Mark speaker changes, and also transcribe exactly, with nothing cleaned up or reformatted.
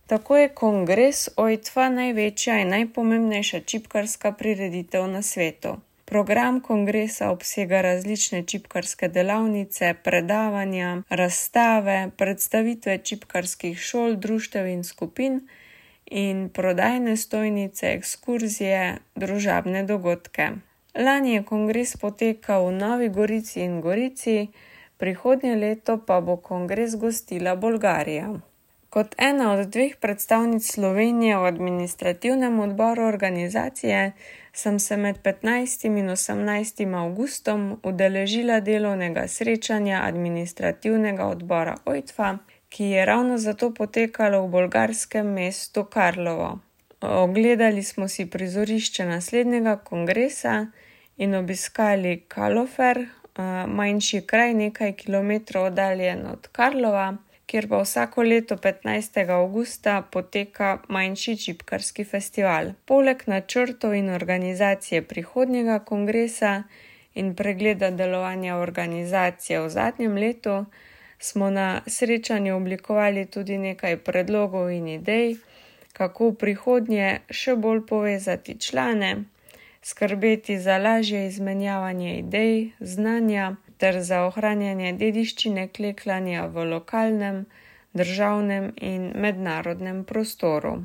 Speaker 1: Tako je kongres O I T F A največja in najpomembnejša čipkarska prireditev na svetu. Program kongresa obsega različne čipkarske delavnice, predavanja, razstave, predstavitve čipkarskih šol, društev in skupin in prodajne stojnice, ekskurzije, družabne dogodke. Lani je kongres potekal v Novi Gorici in Gorici, prihodnje leto pa bo kongres gostila Bolgarija. Kot ena od dveh predstavnic Slovenije v administrativnem odboru organizacije sem se med petnajstim in osemnajstim avgustom udeležila delovnega srečanja administrativnega odbora O I T F A, ki je ravno zato potekalo v bolgarskem mestu Karlovo. Ogledali smo si prizorišče naslednjega kongresa in obiskali Kalofer, manjši kraj nekaj kilometrov oddaljen od Karlova, kjer pa vsako leto petnajstega avgusta poteka manjši čipkarski festival. Poleg načrtov in organizacije prihodnjega kongresa in pregleda delovanja organizacije v zadnjem letu, smo na srečanju oblikovali tudi nekaj predlogov in idej, kako v prihodnje še bolj povezati člane, skrbeti za lažje izmenjavanje idej, znanja ter za ohranjanje dediščine klekljanja v lokalnem, državnem in mednarodnem prostoru.